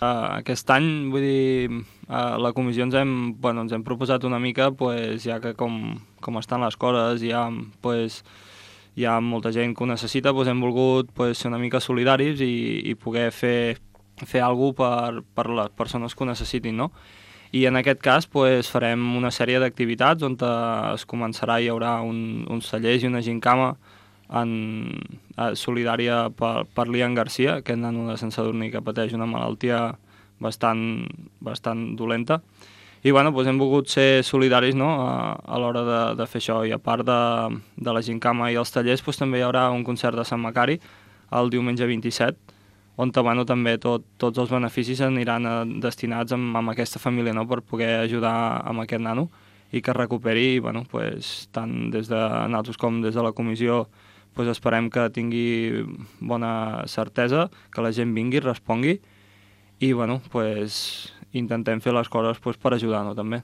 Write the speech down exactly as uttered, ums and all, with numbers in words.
Uh, aquest any, vull dir, a la comissió ens hem, bueno, ens hem proposat una mica, pues, ja que com, com estan les coses, hi ha, pues, hi ha molta gent que ho necessita, pues, hem volgut pues, ser una mica solidaris i, i poder fer, fer alguna cosa per, per les persones que ho necessitin, no? I en aquest cas pues, farem una sèrie d'activitats on es començarà, hi haurà un, uns tallers i una gincama en, eh, solidària per, per l'Ian Garcia, aquest nano de Sant Sadurní que pateix una malaltia bastant, bastant dolenta. I bueno, doncs hem volgut ser solidaris, no?, a, a l'hora de, de fer això. I a part de, de la gincama i els tallers, doncs també hi haurà un concert de Sant Macari el diumenge vint-i-set, on bueno, també tot, tots els beneficis aniran a, destinats amb, amb aquesta família, no?, per poder ajudar amb aquest nano i que es recuperi. I bueno, pues, tant des de nosaltres com des de la comissió pues esperem que tingui bona certesa, que la gent vingui, respongui i bueno, pues, intentem fer les coses pues, per ajudar-nos també.